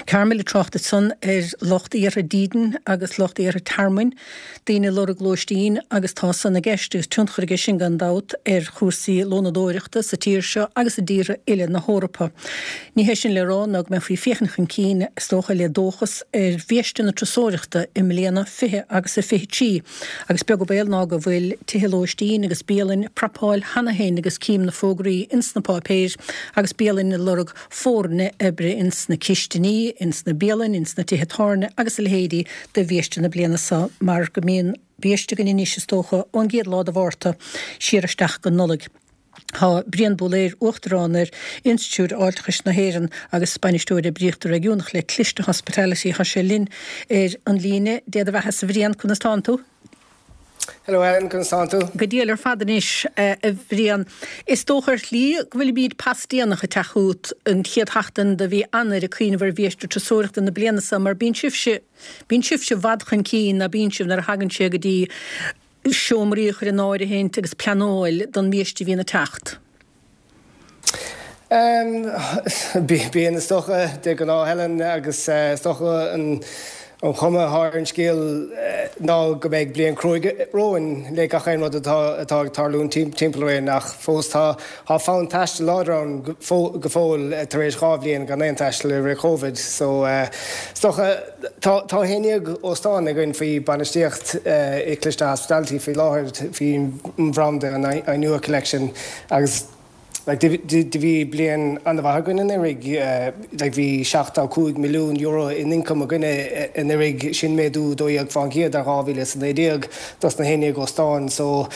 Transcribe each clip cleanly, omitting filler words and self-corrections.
Carmel ag trácht ansan ar lucht iarrtha dídin agus lucht iarrtha tearmainn, daoine ag lorg lóistín agus tá san i gceist agus tionchar aige sin gan dabht ar chúrsaí lónadóireachta sa tír seo agus i dtíortha uile na hEorpa. Ní hé sin le rá ná go mbeifí ag féachaint chun cinn, is dócha, le dóchas ar bhiaiste na turasóireachta i mbliana 20 agus a 23 agus beag an baol ná go bhfuil tithe lóistín agus bialainn ag prapáil cheana féin agus cím na fógraí ins na páipéir agus bialainn ag lorg foirne oibre ins na cistiní, ins na bialainn, ins na tithe tábhairne agus a leithéidí do bhiaiste na bliana seo mar go mbíonn biaiste againn anois is dócha ón gcéad lá de Mhárta siar isteach go Nollaig. Tá Brian Búlaeir, Uachtarán ar Institiúid Fháilteachais na hÉireann agus Bainisteoir Oibríochta Réigiúnach le Cliste Hospitality, tá sé linn ar an líne. Dé do bheatha-sa a Bhriain, conas tánn tú? Hello Helen, conas tánn tú? Go diail ar fad anois, a Bhriain. Is dócha ar shlí go bhfuilimíd pas déanach ag teacht chugat an chéad sheachtain de mhí Eanáir ag cuimhneamh ar bhiaiste turasóireachta na bliana seo mar bíonn sibhse, bíonn sibhse i bhfad chun cinn, ná bíonn sibh, nuair a thagann sé go dtí seomraí a chur in áirithint agus pleanáil don bhiaiste a bhíonn ag teacht. Bíonn, is dócha, de ghnáth, Helen, agus is dócha an chuma atá ar an scéal ná go mbeidh bliain cruaidh romhainn le gach aon rud atá ag tarlúint timpeall orainn ach fós tá fonn taistil láidir ann go fóill tar éis 2 bhliain gan aon taisteal i rith Covid. So is dócha tá 11 óstán againn faoi bainistíocht i Cliste Hospitality faoi láthair faoin mbranda an Ainua Collection Agus like do bhí bliain an-mhaith againn anuraidh, like bhí €75 milliún in ioncam againne anuraidh, sin méadú 12% ar 2019 dos na 11 óstán. So,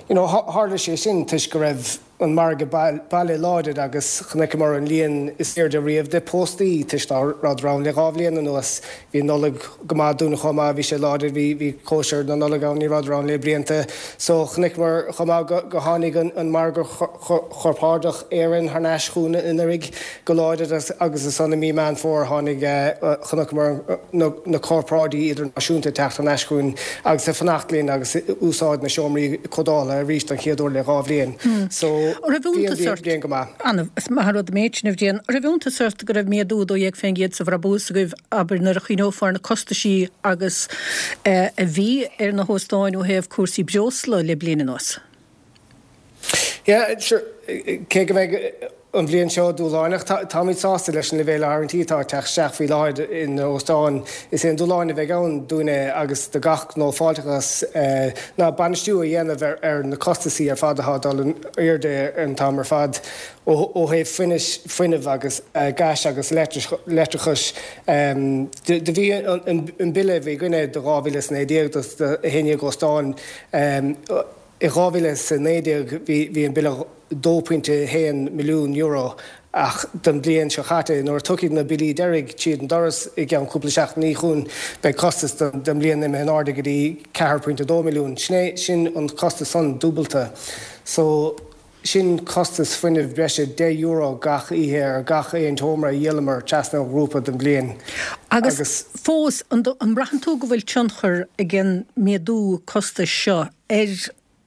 you know, tharla sé sin toisc go raibh an margadh baile láidir agus chonaiceamar an líon is airde riamh de póstaí toisc ná rabhadar ann le dhá bhliain anuas. Bhí an Nollaig go maith dúinn chomh maith, bhí sé láidir, bhí, bhí cóisir na Nollag ann, ní rabhadar ann le blianta. So chonaiceamar chomh maith go, go tháinig an, an margadh chorpáraideach Éireann thar n-ais chugainn anuraidh go láidir agus, agus ansan i mí Meán Fómhair tháinig, chonaiceamar na, na corparáidí idirnáisiúnta ag teacht thar n-ais chugainn agus ag fanacht linn agus ag úsáid na seomraí comhdhála arís don chéad uair le 2 bhliain. So An raibh bhí an iontas bhliain, ort? bliain go maith. Ana, is maith an rud an méid sin a Bhriain. An raibh iontas ort go raibh méadú 12% sa bhrabús agaibh, abair, nuair a chuimhneofá ar na costaisí agus a bhí ar na hóstáin ó thaobh cúrsaí breosla le bliain anuas? Yeah, sure, cé go mbeidh an bhliain seo dúshlánach, táimid sásta leis an leibhéal áirithintí atá ag teacht isteach faoi láthair ina óstáin. Is é an dúshlán a bheidh ann dúinne agus do gach gnó fáilteachais ná bainistiú a dhéanamh ar na costasaí ar fad atá ag dul in airde an t-am ar fad. Ó thaobh fuinnimh agus gais agus leictreachais do bhí an bille a bhí againne do 2019 do 11 óstán i 2019 bhí an bille €2.1 milliún ach don bhliain seo caite nuair a tiocfaidh na billí deiridh tríd an doras i gceann cúpla seachtainí chugainn beidh costas don bhliain imithe in airde go dtí 4.2 milliún. Sin é sin an costas san dúbalta. So. Sin costas fuinnimh breise €10 gach oíche ar gach aon tseomra a dhíolamar trasna an ghrúpa don bhliain. Agus fós, an mbraitheann tú go bhfuil tionchar ag an méadú costais seo ar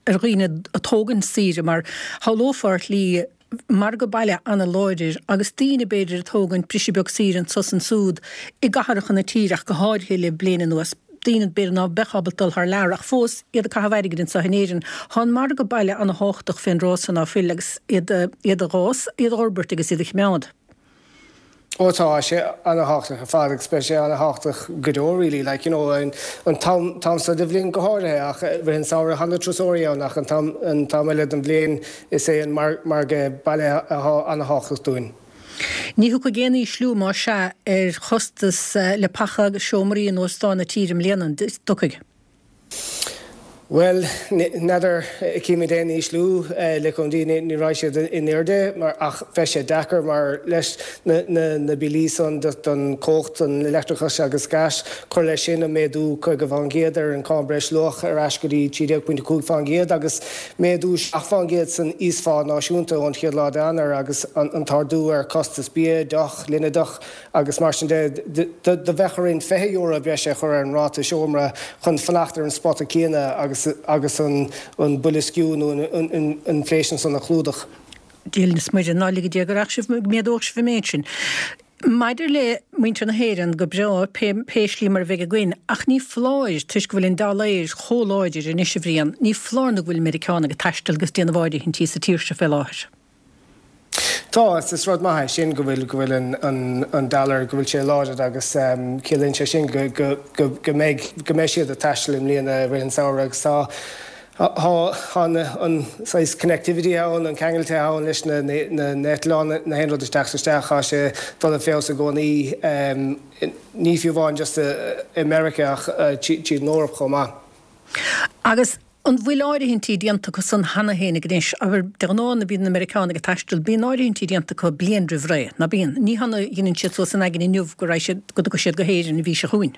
ar dhaoine ag tógaint saoire? Mar shamhlófá ar shlí margadh baile ana-láidir agus daoine b'fhéidir ag tógaint briseadh beag saoire anso is ansúd i gcathracha na tíre ach go háirithe le bliain anuas. daoine b'fhéidir ná beadh ábalta dul thar lear ach fós iad ag caitheamh airgid anseo in Éirinn. Tá an margadh baile ana-thábhachtach fén dtráth so ná fuil agus iad iad a dh'fhás, iad a dh'fhorbairt agus iad a chimeád. Ó tá sé ana-thábhachtach ar fad agus beidh sé ana-thábhachtach go deo really like you know an t-am t-am seo de bhliain go háirithe ach rith an samhradh tá na turasóirí ann ach an t-am an t-am eile den bhliain is é an margadh baile atá ana-thábhachtach dúinn. Ní thiocfaidh aon ísliú, más ea, ar chostas leapacha agus seomraí in óstáin na tíre i mbliana, an dtiocfaidh? Bhuel, n'fheadar, címid aon ísliú, le cúnamh Dé ní raghaidh siad in airde mar ach beidh sé deacair mar leis na billí san don chumhacht, don leictreachas agus gais, cuir leis sin an méadú 50% ar an cáin breis luach ar ais go dtí 13.5% agus Méadú 7% san íosphá náisiúnta ón chéad lá d'Eanáir agus an t-ardú ar chostas bia, deoch, líneadach agus mar sin de. Do bheadh orainn €20 breise a chur ar an ráta seomra chun fanacht ar an spota céanna agus agus an boilsciú nó an inflation san a chlúdach. Dia linn is Muire, ná lige Dia go rachadh sibh, go méadódh sibh an méid sin. Maidir le muintir na hÉireann, go breá, pé pé slí mar a bheidh againn, ach ní foláir, toisc go bhfuil an dollar chomh láidir anois, a Bhriain, ní foláir nó go bhfuil Meiriceánaigh ag taisteal agus déanamh áirithintí sa tír seo fé láthair. Tá, is is rud maith é sin go bhfuil go bhfuil an an an dollar, go bhfuil sé láidir agus ciallaíonn sé sin go go go go mbeidh go mbeidh siad ag taisteal i mbliana i rith an samhradh agus tá tá tá an an saghas connectivity ann, an ceangailte ann leis na na na eitleáin, na haon rud isteach is isteach, tá sé dul i feabhas i gcónaí, ní fiú amháin just i Meiriceá ach tríd an Eoraip chomh maith. Agus An bhfuil áirithintí déanta acu san cheana féinig anois? Abair, de ghnáth nuair a bhíonn na Meiriceánaigh ag taisteal, bíonn áirithintí déanta acu bliain roimh ré, ná bíonn? Ní hann a dheineann siad suas a n-aigne inniu go raghaidh siad, go dtiocfaidh siad go hÉirinn an mhí seo chugainn.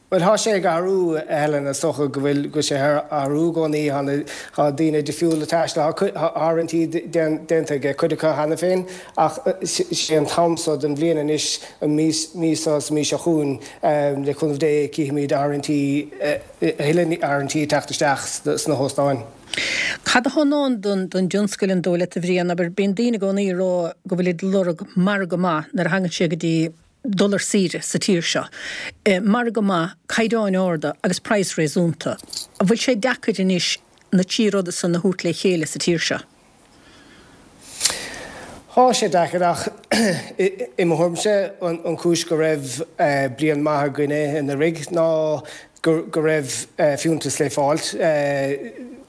Bhuel, thá sé ag athrú, a Helen, is dócha go bhfuil, go bhfuil sé ag athrú i gcónaí. Thá na, thá daoine difriúil ag taisteal, thá, thá áirithintí déanta ag cuid acu cheana féin ach sé an t-am so den bhliain anois, an mí, mí seo is an mí seo chugainn, le cúnamh Dé, cífimid áirithintí, a thuilleadh áirithintí ag teacht isteach sna hóstáin. Cad atá i ndán don dtionscal, an dóigh leat, a Bhriain? Abair, bíonn daoine i gcónaí ag rá go bhfuilid ag lorg margadh maith nuair a thagann sé go dtí dul ar saoire sa tír seo. Margadh maith, caighdeáin arda agus praghas réasúnta. An bhfuil sé deacair anois na trí ruda san a thabhairt le chéile sa tír seo? Thá sé deacair ach i mo thuairimse an chúis go raibh bliain maith againne anuraidh ná go raibh fiúntas le fáilt.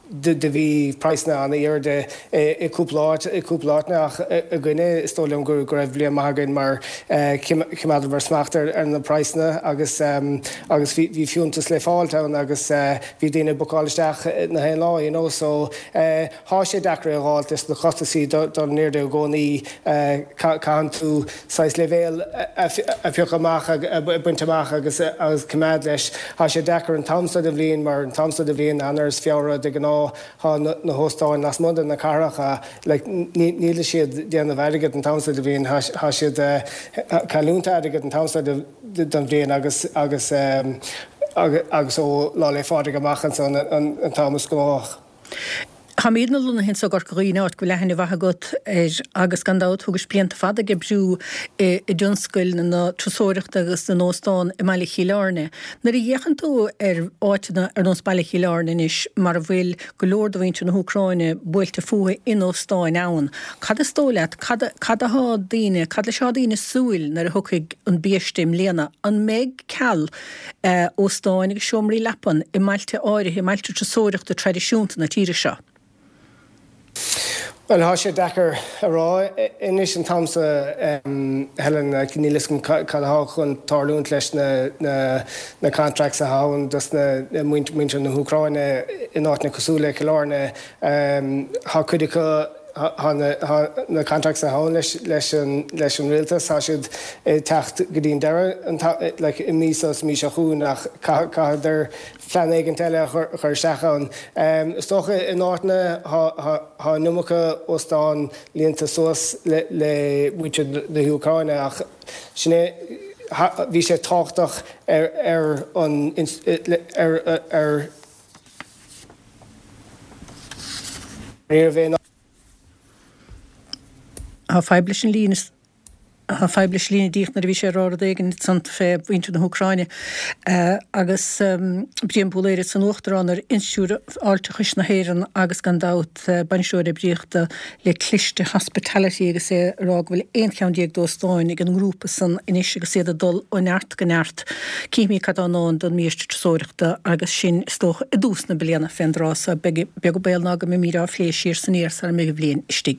Do bhí praghsanna an-airde i cúpla áit, i cúpla áiteanna ach againne is dóigh liom go raibh bliain maith againn mar choimeádamar smacht ar na praghsanna agus agus bhí fiúntas le fáilt ann agus bhí daoine ag bookáil isteach na haon lá you know so Thá sé deacair é a dh'fháilt leis na costasaí dul in airde i gcónaí. Caitheann tú saghas leibhéal a phiocadh amach, a baint amach agus coimeád leis. Thá sé deacair an t-am seo de bhliain mar an t-am seo de bhliain, Eanáir is Feabhra de ghnáth, thá na hóstáin lasmuigh de na cathracha, like níl siad déanamh airgead an t-am seo de bhliain, thá siad cailliúint airgead an t-am seo den bhliain agus agus agus ó Lá 'le Phádraig amach ansan an t-am is gnóthach. Táimidne lonnaithe anso i gCorca Dhuibhne, áit go bhfuil aithne mhaith agat air agus gan dabht thugais blianta fada ag oibriú i dtionscail na turasóireachta agus na n-óstán i mBaile Chill Airne. Nuair a fhéachann tú ar áiteanna ar nós Baile Chill Airne anois mar a bhfuil go leor de mhuintir na hÚcráine buailte fúthu in óstáin ann, cad is dóigh leat, cad cad athá daoine, cad leis athá daoine ag súil nuair a thiocfaidh an biaiste i mbliana? An mbeidh ceal óstáin agus seomraí leapan i mbailte áirithe, i mbailte turasóireachta traidisiúnta na tíre seo. Bhuel, thá sé deacair a rá anois an t-am seo, Helen, níl fhios agam cad athá chun tarlúint leis na contracts athá ann dos na muintir na hÚcráine in áiteanna cosúil le Cill Airne. Thá cuid acu Tá na contracts atá ann leis an rialtas, tá siad ag teacht go dtí an deireadh like i mí seo is mí seo chugainn ach caithfear plean éigint eile a chur isteach ann. Is dócha in áiteanna tá an iomarca óstán líonta suas le muintir na hÚcráine ach sin é, bhí sé tábhachtach ar an ar Ní raibh aon. Tá fadhb leis an líne. Tá fadhb leis an líne díreach nuair a bhí sé ag rá rud éigin ansan fé mhuintir na hÚcráine agus Brian Búlaeir ansan Uachtarán ar Institiúid Fháilteachais na hÉireann agus gan dabht Bainisteoir Oibríochta le Cliste Hospitality agus é ag rá go bhfuil 11 cheann d'óstáin ag an ngrúpa san anois agus iad ag dul ó neart go neart. Cífimid cad tá i ndán don mbiaiste turasóireachta agus sin, is dócha, i dtús na bliana fén dtráth so. Beag an baol ná go mbeimid á phlé siar 's aniar sara mbeidh an bhliain istigh.